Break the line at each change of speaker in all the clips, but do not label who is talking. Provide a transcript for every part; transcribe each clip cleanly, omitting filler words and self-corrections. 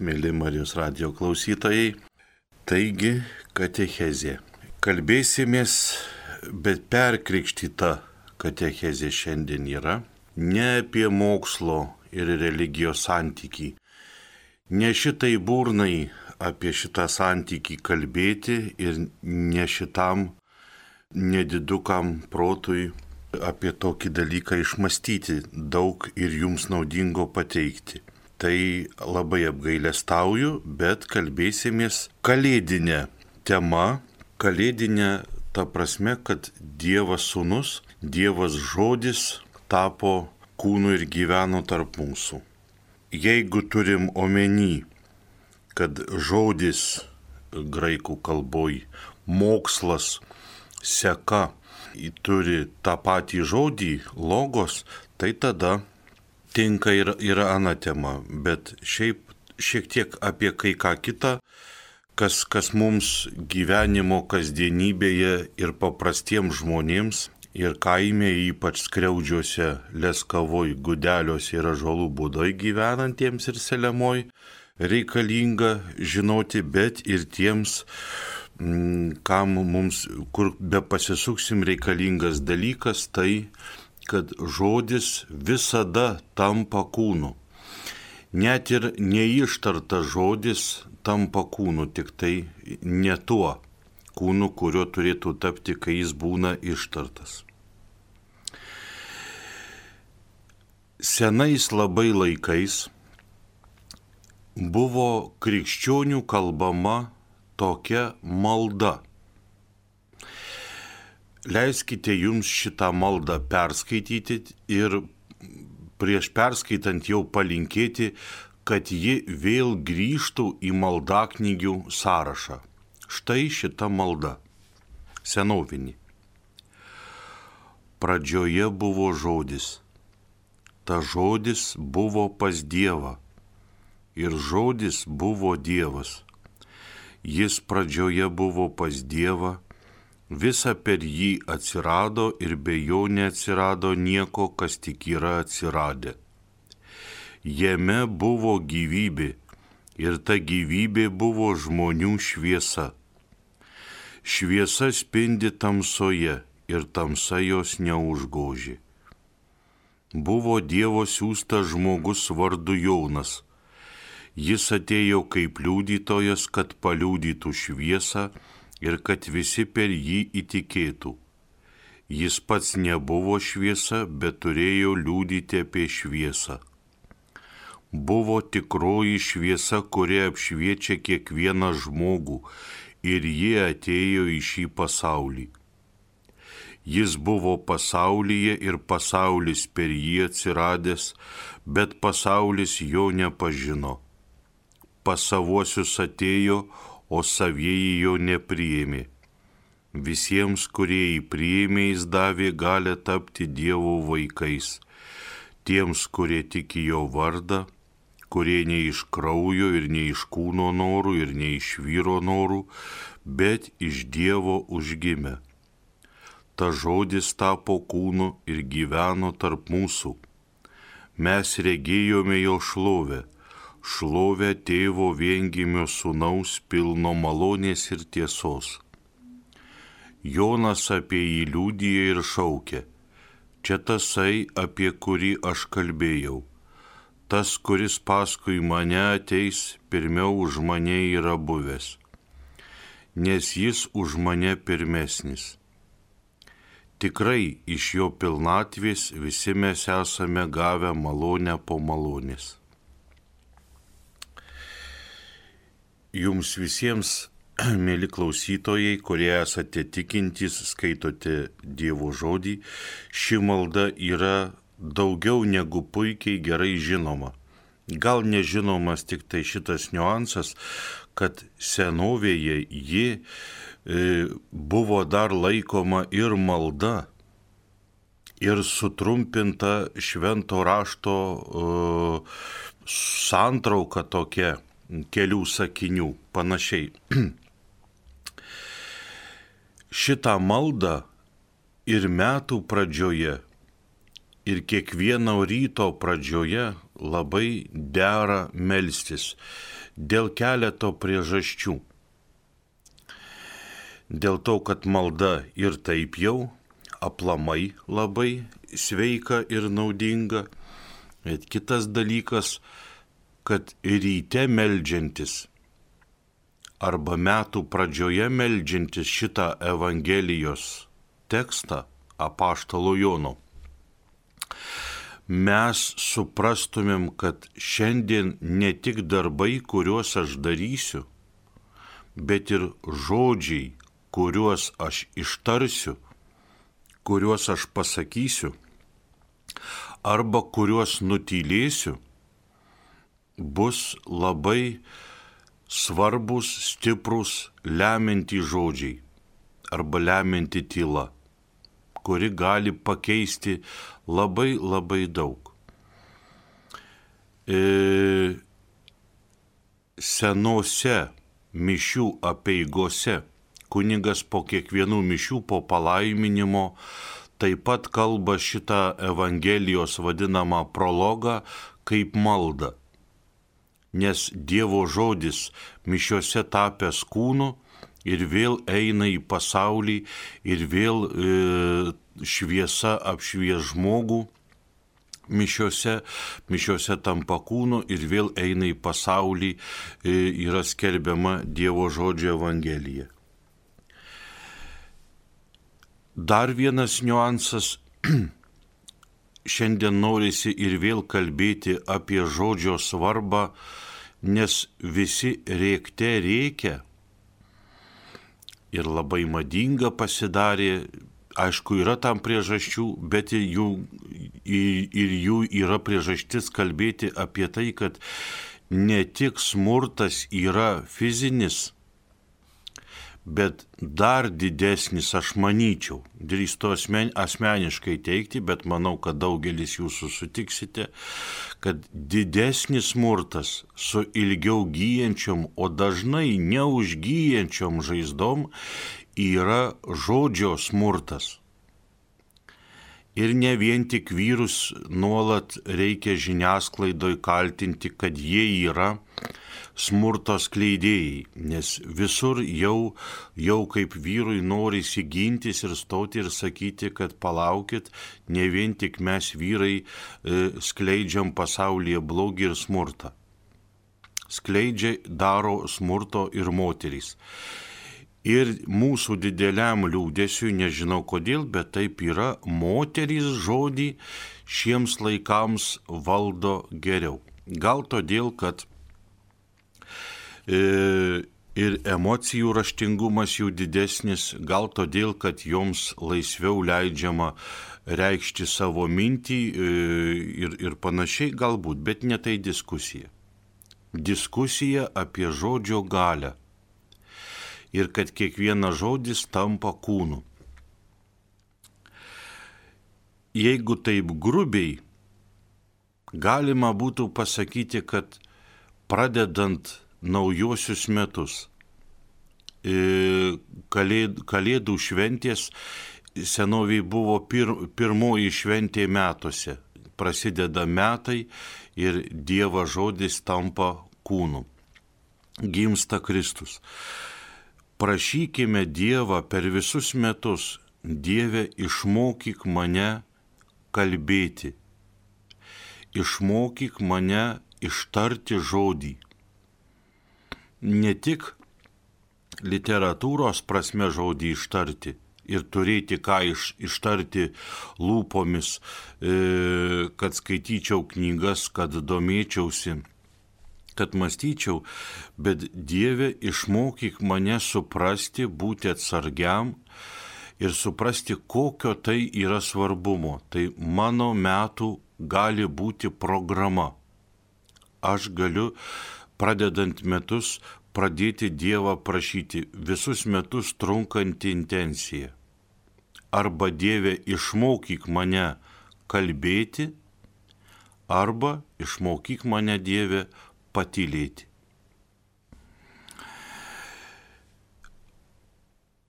mėly Marijos radijo klausytojai. Taigi, katechezė. Kalbėsimės, bet perkrikštyta katechezė šiandien yra ne apie mokslo ir religijos santykį. Ne šitai burnai apie šitą santykį kalbėti ir ne šitam nedidukam protui apie tokį dalyką išmastyti daug ir jums naudingo pateikti. Tai labai apgailestauju, bet kalbėsimės kalėdinę temą. Kalėdinę ta prasme, kad Dievas Sūnus, Dievas Žodis tapo kūnu ir gyveno tarp mūsų. Jeigu turim omeny, kad žodis graikų kalboj, mokslas, seka, turi tą patį žodį, logos, tai tada tinka ir ana tema, bet šiek tiek apie kai ką kitą, kas mums gyvenimo kasdienybėje ir paprastiems žmonėms, ir kaime, ypač Skriaudžiuose, Leskavoj, Gudeliuose ir Ąžuolų Būdoj gyvenantiems ir Selemoj, reikalinga žinoti, bet ir tiems, kam mums, kur be pasisuksim, reikalingas dalykas, tai, kad žodis visada tampa kūnu. Net ir neištartas žodis tampa kūnu, tik tai ne tuo kūnu, kurio turėtų tapti, kai jis būna ištartas. Senais labai laikais buvo krikščionių kalbama tokia malda. Leiskite jums šitą maldą perskaityti ir prieš perskaitant jau palinkėti, kad ji vėl grįžtų į maldaknygių sąrašą. Štai šita malda. Senovinė. Pradžioje buvo žodis. Ta žodis buvo pas Dievą. Ir žodis buvo Dievas. Jis pradžioje buvo pas Dievą, visa per jį atsirado ir be jo neatsirado nieko, kas tik yra atsiradę. Jame buvo gyvybė ir ta gyvybė buvo žmonių šviesa. Šviesa spindi tamsoje ir tamsa jos neužgožė. Buvo Dievo siųstas žmogus vardu Jonas. Jis atėjo kaip liudytojas, kad paliudytų šviesą ir kad visi per jį įtikėtų. Jis pats nebuvo šviesa, bet turėjo liudyti apie šviesą. Buvo tikroji šviesa, kuri apšviečia kiekvieną žmogų, ir ji atėjo į šį pasaulį. Jis buvo pasaulyje ir pasaulis per jį atsiradęs, bet pasaulis jo nepažino. Pas savuosius atėjo, o savieji jo nepriėmė. Visiems, kurie jį priėmė, jis davė galią tapti Dievo vaikais. Tiems, kurie tiki jo vardą, kurie ne iš kraujo ir ne iš kūno norų ir ne iš vyro norų, bet iš Dievo užgimę. Ta žodis tapo kūnu ir gyveno tarp mūsų. Mes regėjome jo šlovę. Šlovę Tėvo viengimio Sūnaus pilno malonės ir tiesos. Jonas apie jį liudija ir šaukia. Čia tasai, apie kurį aš kalbėjau. Tas, kuris paskui mane ateis, pirmiau už mane yra buvęs, nes jis už mane pirmesnis. Tikrai iš jo pilnatvės visi mes esame gavę malonę po malonės. Jums visiems, mėly klausytojai, kurie esate tikintys, skaitote Dievo žodį, ši malda yra daugiau negu puikiai gerai žinoma. Gal nežinomas tik tai šitas niuansas, kad senovėje ji buvo dar laikoma ir malda, ir sutrumpinta švento rašto santrauka tokia, kelių sakinių, panašiai. Šitą maldą ir metų pradžioje, ir kiekvieno ryto pradžioje labai dera melstis dėl keleto priežasčių. Dėl to, kad malda ir taip jau aplamai labai sveika ir naudinga. Bet kitas dalykas, kad ryte meldžiantis arba metų pradžioje meldžiantis šitą Evangelijos tekstą apaštalo Jono, mes suprastumėm, kad šiandien ne tik darbai, kuriuos aš darysiu, bet ir žodžiai, kuriuos aš ištarsiu, kuriuos aš pasakysiu, arba kuriuos nutylėsiu, bus labai svarbus, stiprus, lemiantys žodžiai arba lemianti tyla, kuri gali pakeisti labai labai daug. Senose mišių apeigose kunigas po kiekvienų mišių, po palaiminimo, taip pat kalba šitą Evangelijos vadinamą prologą kaip maldą. Nes Dievo žodis mišiuose tapęs kūnu ir vėl eina į pasaulį ir vėl šviesa apšvies žmogų mišiuose tampa kūnu ir vėl eina į pasaulį, yra skelbiama Dievo žodžio Evangelija. Dar vienas niuansas, šiandien norisi ir vėl kalbėti apie žodžio svarbą, nes visi rėkte rėkia ir labai madinga pasidarė, aišku, yra tam priežasčių, bet ir jų yra priežastis kalbėti apie tai, kad ne tik smurtas yra fizinis, bet dar didesnis, aš manyčiau, drįstu asmeniškai teikti, bet manau, kad daugelis jūsų sutiksite, kad didesnis smurtas su ilgiau gyjančiom, o dažnai neužgyjančiom žaizdom yra žodžio smurtas. Ir ne vien tik vyrus nuolat reikia žiniasklaidoj kaltinti, kad jie yra smurto skleidėjai, nes visur jau kaip vyrui norisi gintis ir stoti ir sakyti, kad palaukit, ne vien tik mes vyrai skleidžiam pasaulyje blogį ir smurtą. Daro smurto ir moterys. Ir mūsų dideliam liūdėsiui, nežinau kodėl, bet taip yra, moterys žodį šiems laikams valdo geriau. Gal todėl, kad ir emocijų raštingumas jų didesnis, gal todėl, kad joms laisviau leidžiama reikšti savo mintį ir panašiai galbūt, bet ne tai diskusija. Diskusija apie žodžio galią ir kad kiekvienas žodis tampa kūnu. Jeigu taip grubiai, galima būtų pasakyti, kad pradedant naujuosius metus, kalėdų šventės senoviai buvo pirmoji šventė metuose. Prasideda metai ir Dievo žodis tampa kūnu. Gimsta Kristus. Prašykime Dievą per visus metus, Dieve, išmokyk mane kalbėti. Išmokyk mane ištarti žodį. Ne tik literatūros prasme žodį ištarti ir turėti ką ištarti lūpomis, kad skaityčiau knygas, kad domėčiausi, kad mąstyčiau, bet Dieve, išmokyk mane suprasti, būti atsargiam ir suprasti, kokio tai yra svarbumo. Tai mano metų gali būti programa. Aš galiu, pradedant metus, pradėti Dievą prašyti visus metus trunkantį intenciją. Arba Dieve, išmokyk mane kalbėti, arba išmokyk mane, Dieve, patylėti.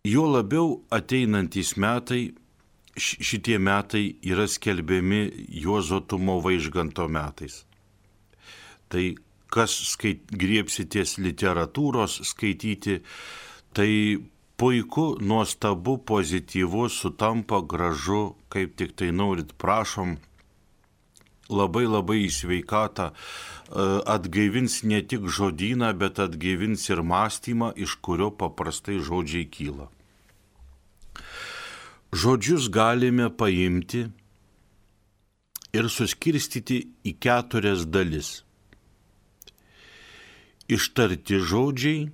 Jo labiau ateinantys metai, šitie metai yra skelbiami Juozo Tumo Vaižganto metais. Tai kas griebsitės literatūros skaityti, tai puiku, nuostabu, pozityvu, sutampa, gražu, kaip tik tai norit, prašom, labai į sveikatą, atgaivins ne tik žodyną, bet atgaivins ir mąstymą, iš kurio paprastai žodžiai kyla. Žodžius galime paimti ir suskirstyti į 4 dalis. Ištarti žodžiai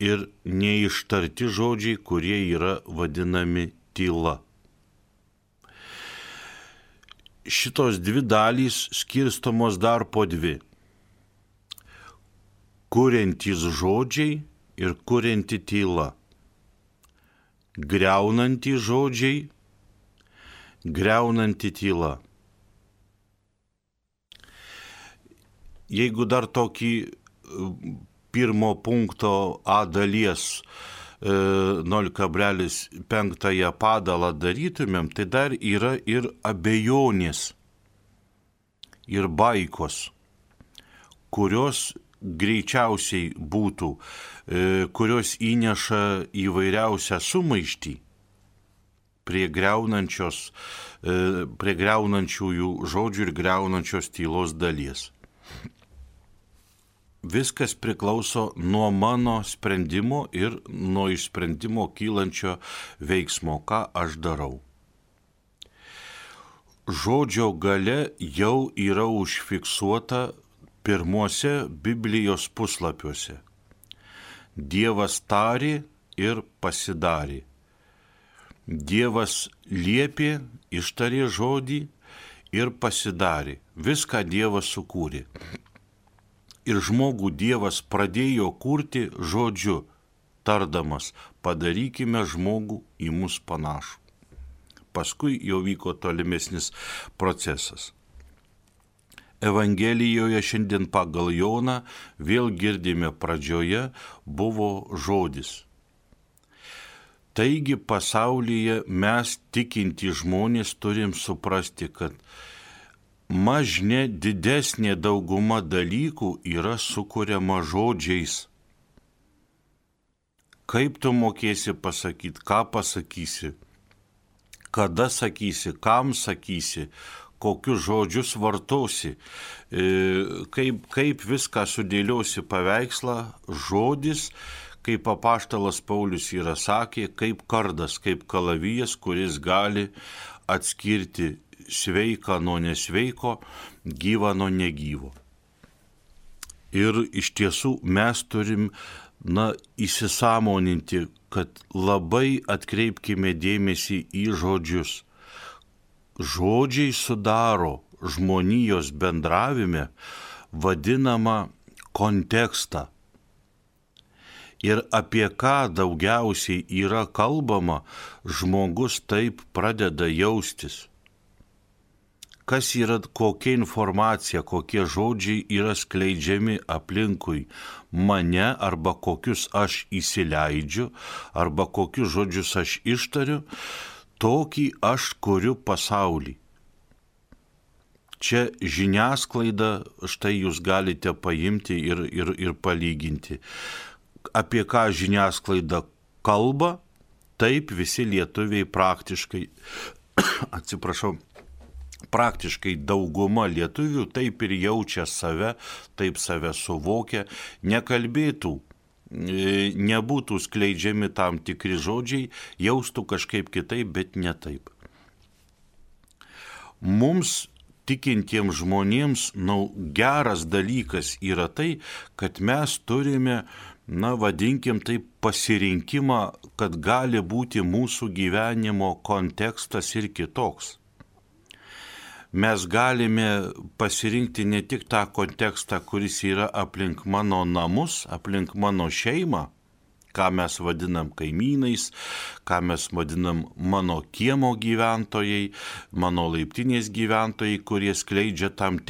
ir neištarti žodžiai, kurie yra vadinami tyla. Šitos 2 dalys skirstomos dar po 2. Kuriantys žodžiai ir kurianti tyla. Griaunantys žodžiai, griaunanti tyla. Jeigu dar tokį pirmo punkto A dalies 0,5 padalą darytumėm, tai dar yra ir abejonės, ir baikos, kurios greičiausiai būtų, kurios įneša įvairiausią sumaištį prie griaunančiųjų žodžių ir griaunančios tylos dalies. Viskas priklauso nuo mano sprendimo ir nuo iš sprendimo kylančio veiksmo, ką aš darau. Žodžio gale jau yra užfiksuota pirmuose Biblijos puslapiuose. Dievas tarė ir pasidarė. Dievas liepė, ištarė žodį ir pasidarė. Viską Dievas sukūrė. Ir žmogų Dievas pradėjo kurti žodžiu, tardamas, padarykime žmogų į mus panašų. Paskui jau vyko tolimesnis procesas. Evangelijoje šiandien pagal Joną vėl girdime pradžioje buvo žodis. Taigi pasaulyje mes tikinti žmonės turim suprasti, kad mažne didesnė dauguma dalykų yra sukuriama žodžiais. Kaip tu mokėsi pasakyti, ką pasakysi, kada sakysi, kam sakysi, kokius žodžius vartosi, kaip viską sudėliosi paveikslą, žodis, kaip apaštalas Paulius yra sakė, kaip kardas, kaip kalavijas, kuris gali atskirti sveiką nuo nesveiko, gyvą nuo negyvo. Ir iš tiesų mes turim įsisąmoninti, kad labai atkreipkime dėmesį į žodžius. Žodžiai sudaro žmonijos bendravime vadinamą kontekstą. Ir apie ką daugiausiai yra kalbama, žmogus taip pradeda jaustis. Kas yra, kokia informacija, kokie žodžiai yra skleidžiami aplinkui mane, arba kokius aš įsileidžiu, arba kokius žodžius aš ištariu, tokį aš kuriu pasaulį. Čia žiniasklaida, štai jūs galite paimti ir palyginti. Apie ką žiniasklaida kalba, taip visi lietuviai praktiškai dauguma lietuvių taip ir jaučia save, taip save suvokia, nekalbėtų, nebūtų skleidžiami tam tikri žodžiai, jaustų kažkaip kitaip, bet ne taip. Mums tikintiems žmonėms geras dalykas yra tai, kad mes turime, vadinkim taip, pasirinkimą, kad gali būti mūsų gyvenimo kontekstas ir kitoks. Mes galime pasirinkti ne tik tą kontekstą, kuris yra aplink mano namus, aplink mano šeimą, ką mes vadinam kaimynais, ką mes vadinam mano kiemo gyventojai, mano laiptinės gyventojai, kurie skleidžia tam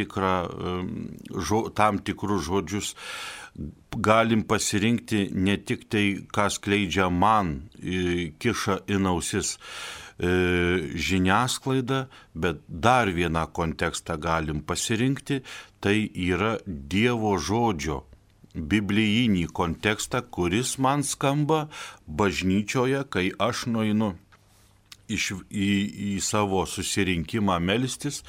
tikrus žodžius. Galim pasirinkti ne tik tai, ką skleidžia man, kiša į ausis žiniasklaidą, bet dar vieną kontekstą galim pasirinkti, tai yra Dievo žodžio biblijinį kontekstą, kuris man skamba bažnyčioje, kai aš nueinu į savo susirinkimą melstis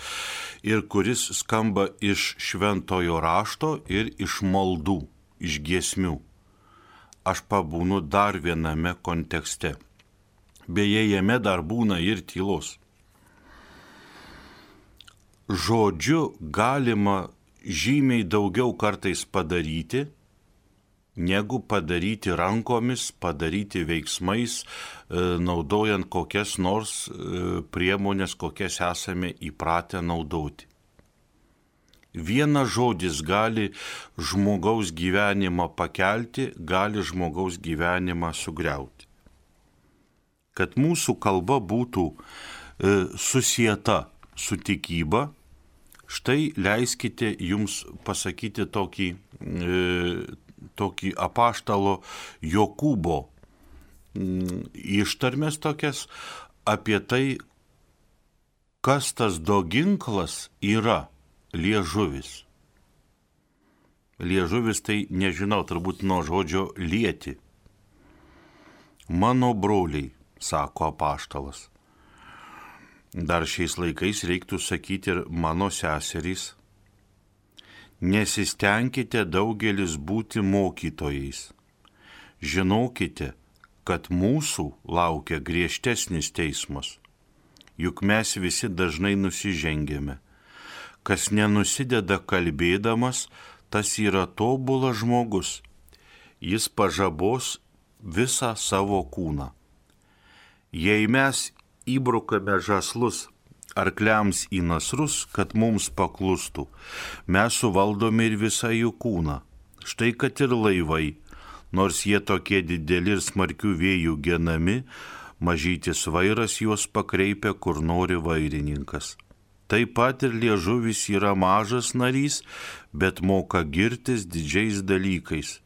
ir kuris skamba iš šventojo rašto ir iš maldų, iš giesmių. Aš pabūnu dar viename kontekste. Beje, jame dar būna ir tylos. Žodžiu galima žymiai daugiau kartais padaryti, negu padaryti rankomis, padaryti veiksmais, naudojant kokias nors priemonės, kokias esame įpratę naudoti. Vienas žodis gali žmogaus gyvenimą pakelti, gali žmogaus gyvenimą sugriauti. Kad mūsų kalba būtų susieta su tikyba, štai leiskite jums pasakyti tokį apaštalo Jokūbo ištarmes tokias apie tai, kas tas doginklas yra liežuvis. Liežuvis tai, nežinau, turbūt nuo žodžio lieti. Mano broliai, sako apaštalas. Dar šiais laikais reiktų sakyti ir mano seserys. Nesistengkite daugelis būti mokytojais. Žinokite, kad mūsų laukia griežtesnis teismas. Juk mes visi dažnai nusižengėme. Kas nenusideda kalbėdamas, tas yra tobulas žmogus. Jis pažabos visą savo kūną. Jei mes įbrukame žąslus arkliams į nasrus, kad mums paklustų, mes suvaldome ir visą jų kūną. Štai kad ir laivai, nors jie tokie dideli ir smarkių vėjų genami, mažytis vairas juos pakreipia, kur nori vairininkas. Taip pat ir liežuvis yra mažas narys, bet moka girtis didžiais dalykais.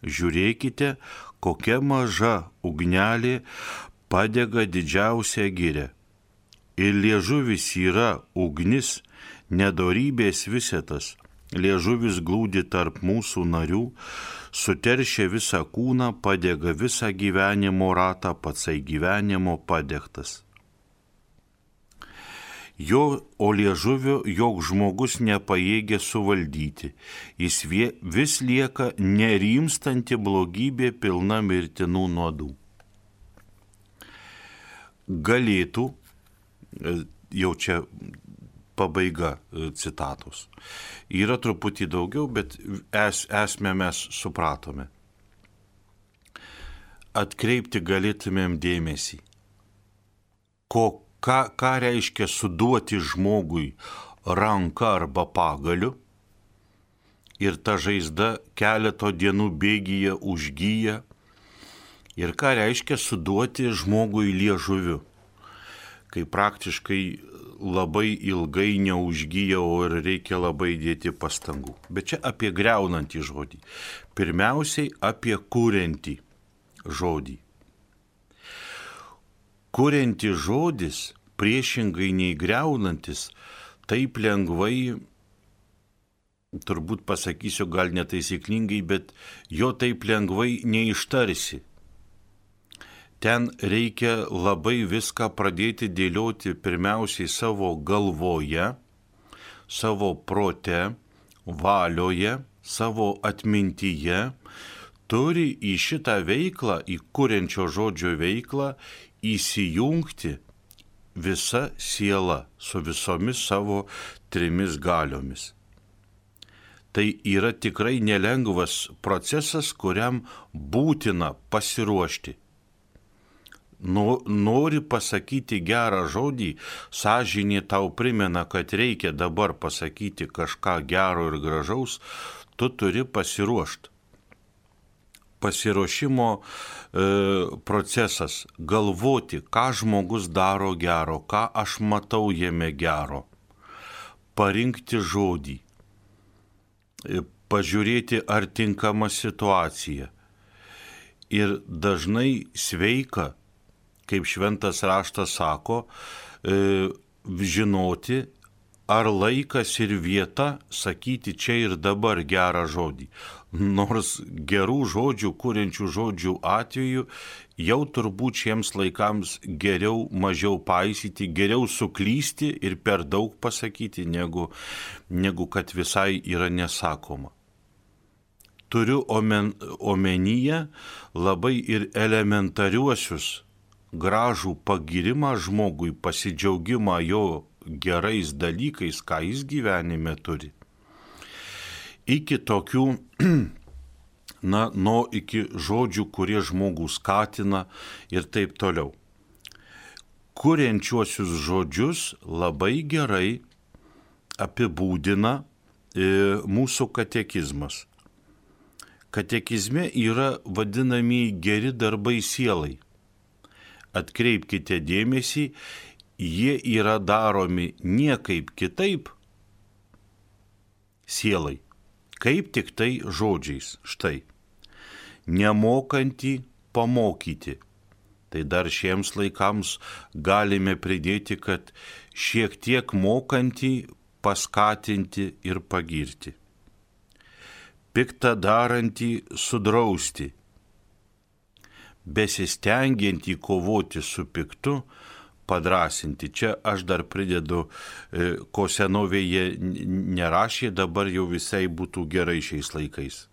Žiūrėkite, kokia maža ugnelė padega didžiausią girią. Ir liežuvis yra ugnis, nedorybės visetas. Liežuvis glūdi tarp mūsų narių, suteršia visą kūną, padega visą gyvenimo ratą, patsai gyvenimo padegtas. O liežuvio joks žmogus nepajėgia suvaldyti. Jis vis lieka nerimstanti blogybė pilna mirtinų nuodų. Galėtų, jau čia pabaiga citatos. Yra truputį daugiau, bet esmę mes supratome. Atkreipti galėtumėm dėmesį. Ką reiškia suduoti žmogui ranką arba pagaliu ir ta žaizda keleto dienų bėgyje užgyja. Ir ką reiškia suduoti žmogui liežuviu, kai praktiškai labai ilgai neužgyja, o ir reikia labai dėti pastangų. Bet čia apie greunantį žodį. Pirmiausiai apie kuriantį žodį. Kuriantis žodis, priešingai nei greunantis, taip lengvai, turbūt pasakysiu gal netaisyklingai, bet jo taip lengvai neištarsi. Ten reikia labai viską pradėti dėlioti pirmiausiai savo galvoje, savo prote, valioje, savo atmintyje. Turi į šitą veiklą, į kuriančio žodžio veiklą įsijungti visa siela su visomis savo 3 galiomis. Tai yra tikrai nelengvas procesas, kuriam būtina pasiruošti. Nori pasakyti gerą žodį, sąžinė tau primena, kad reikia dabar pasakyti kažką gero ir gražaus, tu turi pasiruošti. Pasiruošimo procesas, galvoti, ką žmogus daro gero, ką aš matau jame gero, parinkti žodį, pažiūrėti, ar tinkama situacija. Ir dažnai sveika kaip šventas raštas sako, žinoti, ar laikas ir vieta sakyti čia ir dabar gerą žodį. Nors gerų žodžių, kuriančių žodžių atveju jau turbūt šiems laikams geriau mažiau paisyti, geriau suklysti ir per daug pasakyti, negu kad visai yra nesakoma. Turiu omenyje labai ir elementariuosius gražų pagirimą žmogui, pasidžiaugimą jo gerais dalykais, ką jis gyvenime turi. Iki tokių, iki žodžių, kurie žmogų skatina ir taip toliau. Kuriančiuosius žodžius labai gerai apibūdina mūsų katekizmas. Katekizme yra vadinami geri darbai sielai. Atkreipkite dėmesį, jie yra daromi niekaip kitaip sielai, kaip tik tai žodžiais. Štai, nemokantį pamokyti. Tai dar šiems laikams galime pridėti, kad šiek tiek mokantį paskatinti ir pagirti. Piktą darantį sudrausti. Besistengiantį kovoti su piktu, padrasinti. Čia aš dar pridedu, ko senovėje nerašė, dabar jau visai būtų gerai šiais laikais.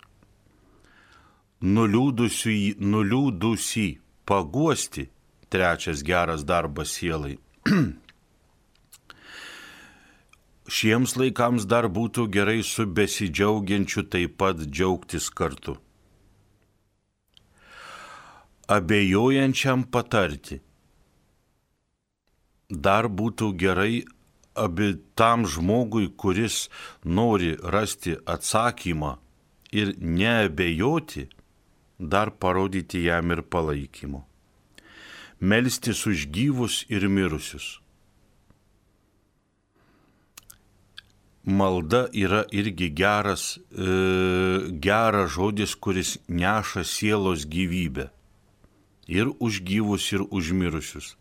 Nuliūdusį paguosti, trečias geras darbas sielai. Šiems laikams dar būtų gerai su besidžiaugiančiu taip pat džiaugtis kartu. Abejojančiam patarti. Dar būtų gerai tam žmogui, kuris nori rasti atsakymą ir neabejoti, dar parodyti jam ir palaikymo. Melstis už gyvus ir mirusius. Malda yra irgi geras žodis, kuris neša sielos gyvybę. Ir už gyvus, ir už mirusius.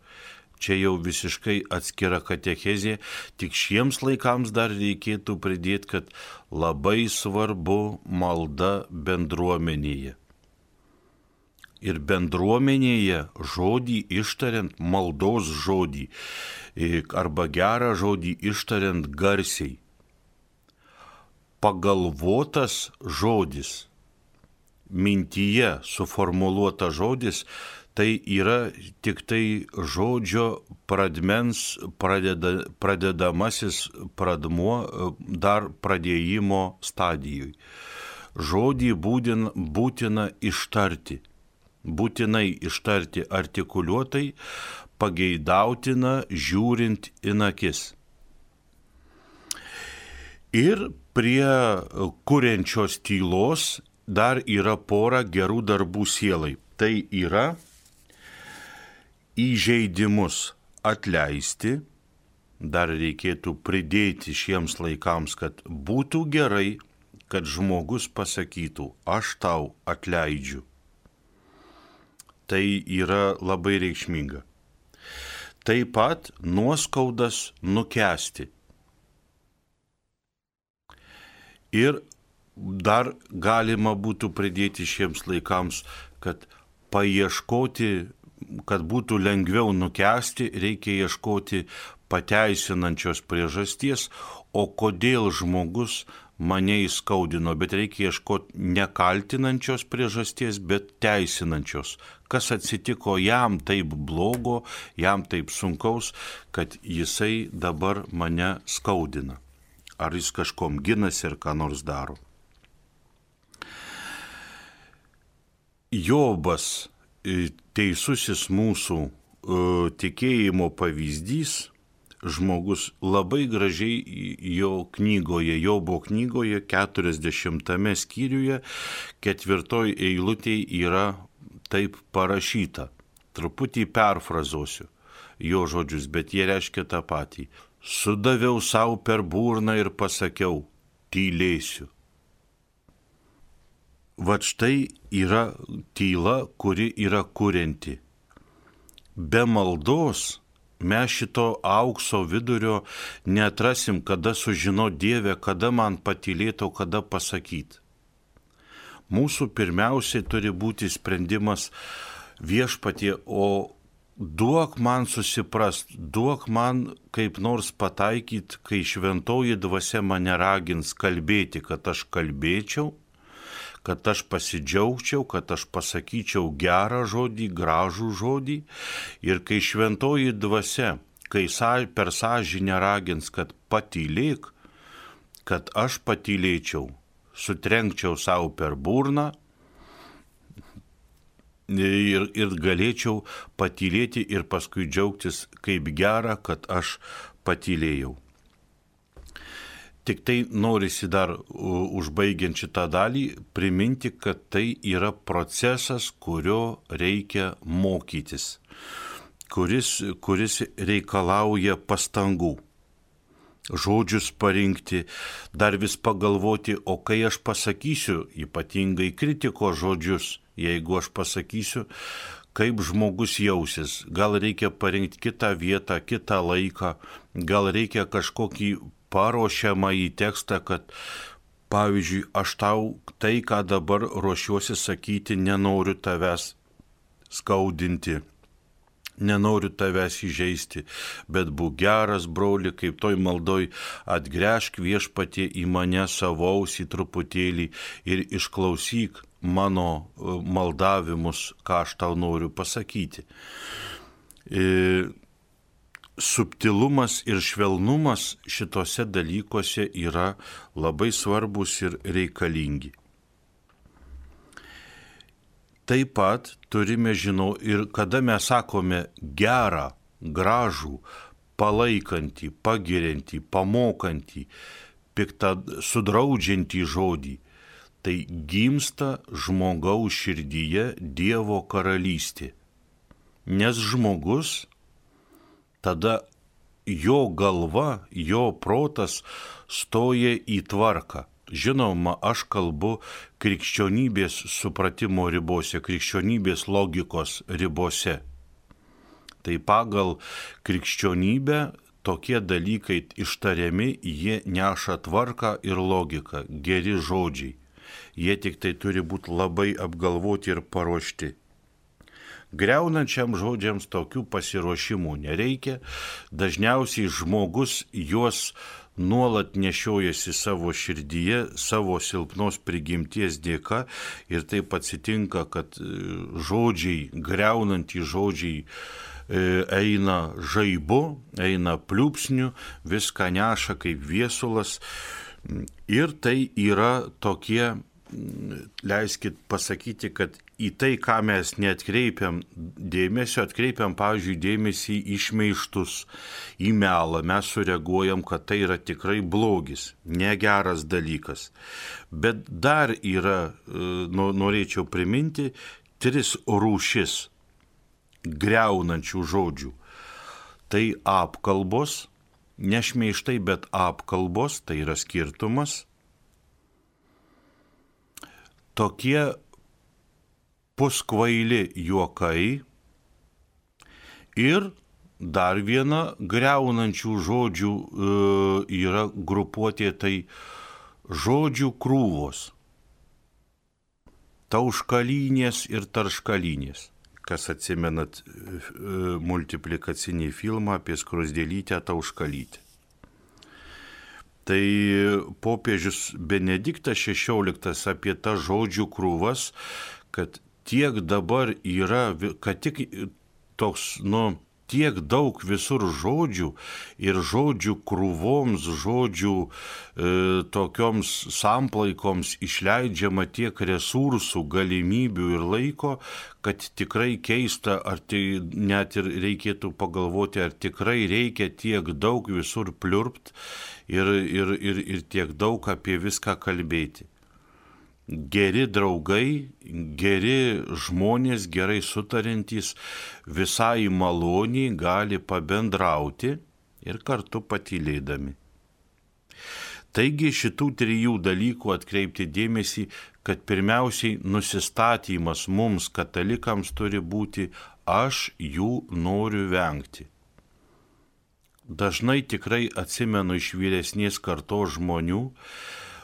Čia jau visiškai atskira katechezė, tik šiems laikams dar reikėtų pridėti, kad labai svarbu malda bendruomenėje. Ir bendruomenėje žodį ištariant, maldos žodį arba gerą žodį ištariant garsiai. Pagalvotas žodis, mintyje suformuluotas žodis, tai yra tik tai žodžio pradmens pradedamasis pradmuo dar pradėjimo stadijui. Žodį būtina ištarti. Būtinai ištarti artikuliuotai, pageidautina žiūrint į akis. Ir prie kuriančios tylos dar yra pora gerų darbų sielai. Tai yra įžeidimus atleisti, dar reikėtų pridėti šiems laikams, kad būtų gerai, kad žmogus pasakytų, aš tau atleidžiu. Tai yra labai reikšminga. Taip pat nuoskaudas nukęsti. Ir dar galima būtų pridėti šiems laikams, kad paieškoti, kad būtų lengviau nukęsti, reikia ieškoti pateisinančios priežasties, o kodėl žmogus mane įskaudino, bet reikia ieškoti nekaltinančios priežasties, bet teisinančios. Kas atsitiko jam taip blogo, jam taip sunkaus, kad jisai dabar mane skaudina. Ar jis kažkom ginasi ir ką nors daro. Jobas, teisusis mūsų tikėjimo pavyzdys, žmogus labai gražiai jo knygoje, Jobo knygoje, 40 skyriuje, 4 eilutėje yra taip parašyta. Truputį perfrazuosiu jo žodžius, bet jie reiškia tą patį. Sudaviau savo per burną ir pasakiau, tylėsiu. Vat štai yra tyla, kuri yra kurianti. be maldos mes šito aukso vidurio neatrasim, kada sužinot Dievę, kada man patylėti, o kada pasakyti. Mūsų pirmiausiai turi būti sprendimas Viešpatie, o duok man susiprast, duok man kaip nors pataikyt, kai šventoji dvasia mane ragins kalbėti, kad aš kalbėčiau, kad aš pasidžiaugčiau, kad aš pasakyčiau gerą žodį, gražų žodį. Ir kai šventoji dvasia, kai per sąžinę ragins, kad patylėk, kad aš patylėčiau, sutrenkčiau savo per burną ir galėčiau patylėti ir paskui džiaugtis kaip gera, kad aš patylėjau. Tik tai norisi dar užbaigiant šitą dalį priminti, kad tai yra procesas, kurio reikia mokytis, kuris reikalauja pastangų. Žodžius parinkti, dar vis pagalvoti, o kai aš pasakysiu, ypatingai kritikos žodžius, jeigu aš pasakysiu, kaip žmogus jausis, gal reikia parinkti kitą vietą, kitą laiką, gal reikia kažkokį paruošiamą į tekstą, kad pavyzdžiui, aš tau tai, ką dabar ruošiuosi sakyti, nenoriu tavęs skaudinti, nenoriu tavęs įžeisti, bet būk geras, broli, kaip toj maldoj, atgręžk Viešpatie į mane savo ausį truputėlį ir išklausyk mano maldavimus, ką aš tau noriu pasakyti. Subtilumas ir švelnumas šitose dalykuose yra labai svarbus ir reikalingi. Taip pat turime žinoti ir kada mes sakome gerą, gražų, palaikantį, pagiriantį, pamokantį, piktą, sudraudžiantį žodį, tai gimsta žmogaus širdyje Dievo karalystė. Nes žmogus tada jo galva, jo protas stoja į tvarką. Žinoma, aš kalbu krikščionybės supratimo ribose, krikščionybės logikos ribose. Tai pagal krikščionybę tokie dalykai ištariami, jie neša tvarką ir logiką, geri žodžiai. Jie tik tai turi būti labai apgalvoti ir paruošti. Griaunančiam žodžiams tokių pasiruošimų nereikia, dažniausiai žmogus juos nuolat nešiojasi savo širdyje, savo silpnos prigimties dėka ir taip atsitinka, kad žodžiai, griaunantys žodžiai eina žaibu, eina pliūpsniu, viską neša kaip viesulas ir tai yra tokie, leiskit pasakyti, kad į tai, ką mes neatkreipiam dėmesio, atkreipiam, pavyzdžiui, dėmesį į šmeižtus, į melą, mes sureaguojam, kad tai yra tikrai blogis, negeras dalykas. Bet dar yra, norėčiau priminti, 3 rūšis griaunančių žodžių. Tai apkalbos, ne šmeižtai, bet apkalbos, tai yra skirtumas. Tokie puskvaili juokai ir dar viena griaunančių žodžių yra grupuotė, tai žodžių krūvos, tauškalynės ir tarškalynės. Kas atsimenat multiplikacinį filmą apie skruzdėlytę tauškalytę. Tai popiežius Benediktas XVI apie tą žodžių krūvas, kad tiek dabar yra, kad tik toks, tiek daug visur žodžių ir žodžių krūvoms, žodžių tokioms samplaikoms išleidžiama tiek resursų, galimybių ir laiko, kad tikrai keista, ar tai net ir reikėtų pagalvoti, ar tikrai reikia tiek daug visur pliurpt ir tiek daug apie viską kalbėti. Geri draugai, geri žmonės, gerai sutarintys, visai maloniai gali pabendrauti ir kartu patylėdami. Taigi šitų 3 dalykų atkreipti dėmesį, kad pirmiausiai nusistatymas mums katalikams turi būti aš jų noriu vengti. Dažnai tikrai atsimenu iš vyresnės kartos žmonių,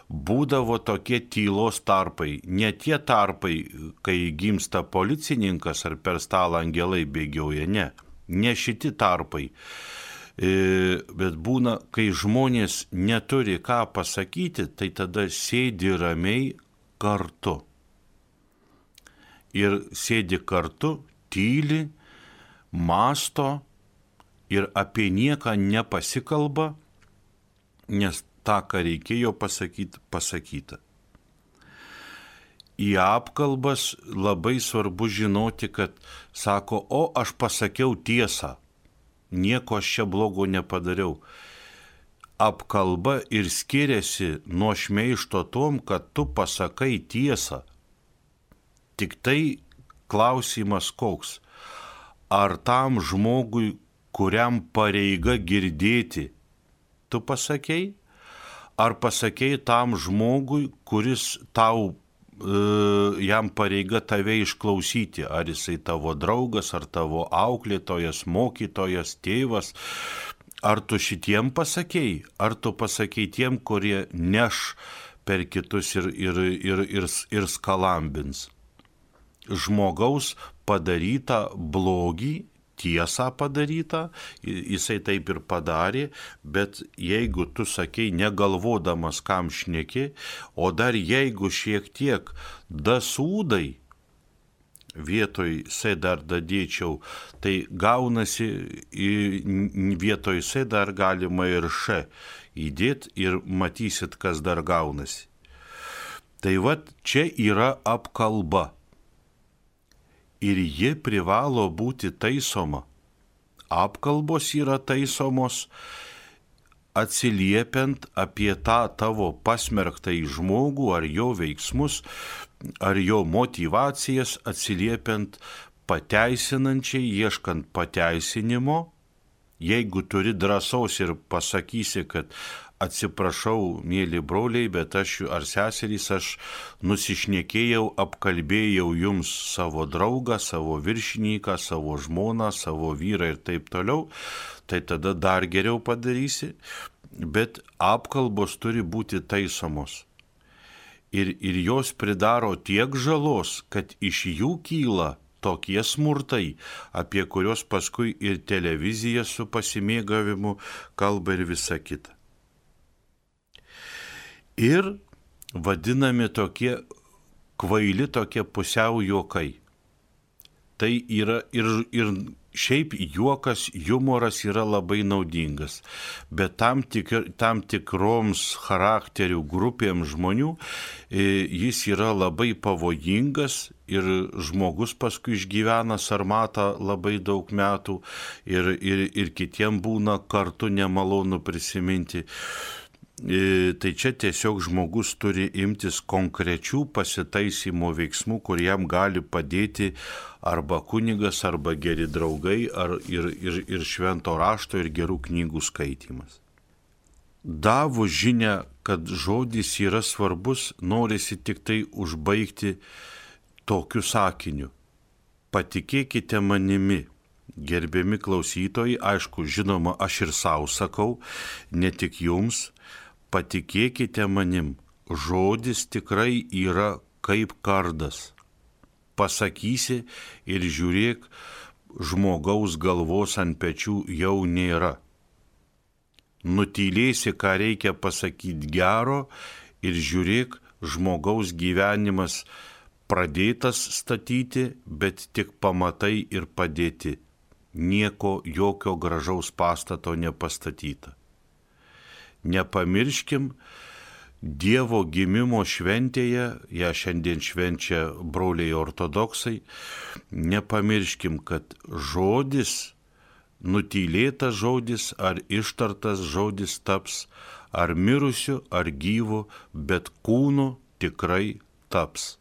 būdavo tokie tylos tarpai, ne tie tarpai, kai gimsta policininkas ar per stalą angelai bėgioja, ne šiti tarpai, bet būna, kai žmonės neturi ką pasakyti, tai tada sėdi ramiai kartu. Ir sėdi kartu, tyli, mąsto ir apie nieką nepasikalba, nes tą, ką reikėjo pasakyti, pasakyta. Į apkalbas labai svarbu žinoti, kad sako, o aš pasakiau tiesą, nieko aš čia blogo nepadariau. Apkalba ir skiriasi nuo šmeižto tom, kad tu pasakai tiesą. Tik tai klausimas koks, ar tam žmogui, kuriam pareiga girdėti, tu pasakei? Ar pasakei tam žmogui, kuris tau, jam pareiga tave išklausyti, ar jisai tavo draugas, ar tavo auklėtojas, mokytojas, tėvas, ar tu šitiem pasakei, ar tu pasakei tiem, kurie neš per kitus ir skalambins. Žmogaus padarytą blogį, tiesą padarytą, jisai taip ir padarė, bet jeigu tu sakei negalvodamas, kam šneki, o dar jeigu šiek tiek dasūdai, vietoj se dar dadėčiau, tai gaunasi vietoj se dar galima ir še įdėt ir matysit, kas dar gaunasi. Tai vat čia yra apkalba. Ir ji privalo būti taisoma. Apkalbos yra taisomos atsiliepiant apie tą tavo pasmerktąjį žmogų ar jo veiksmus, ar jo motyvacijas, atsiliepiant pateisinančiai, ieškant pateisinimo. Jeigu turi drąsos ir pasakysi, kad atsiprašau, mėly broliai, bet aš ar seserys, aš nusišnekėjau, apkalbėjau jums savo draugą, savo viršininką, savo žmoną, savo vyrą ir taip toliau, tai tada dar geriau padarysi, bet apkalbos turi būti taisomos. Ir jos pridaro tiek žalos, kad iš jų kyla tokie smurtai, apie kurios paskui ir televizija su pasimėgavimu kalba ir visa kita. Ir vadinami tokie kvaili, tokie pusiau juokai. Tai yra ir šiaip juokas, humoras yra labai naudingas, bet tam tikroms charakterių grupėms žmonių jis yra labai pavojingas ir žmogus paskui išgyvena sarmatą labai daug metų ir kitiem būna kartu nemalonu prisiminti. Tai čia tiesiog žmogus turi imtis konkrečių pasitaisymo veiksmų, kuriem gali padėti arba kunigas, arba geri draugai, ir švento rašto, ir gerų knygų skaitymas. Davus žinią, kad žodis yra svarbus, norisi tik tai užbaigti tokiu sakiniu. Patikėkite manimi, gerbiami klausytojai, aišku, žinoma, aš ir savo sakau, ne tik jums, patikėkite manim, žodis tikrai yra kaip kardas. Pasakysi ir žiūrėk, žmogaus galvos ant pečių jau nėra. Nutylėsi, ką reikia pasakyti gero ir žiūrėk, žmogaus gyvenimas pradėtas statyti, bet tik pamatai ir padėti. Nieko, jokio gražaus pastato nepastatyta. Nepamirškim Dievo gimimo šventėje, ją šiandien švenčia broliai ortodoksai, nepamirškim, kad žodis, nutylėtas žodis ar ištartas žodis taps ar mirusiu, ar gyvu, bet kūnu tikrai taps.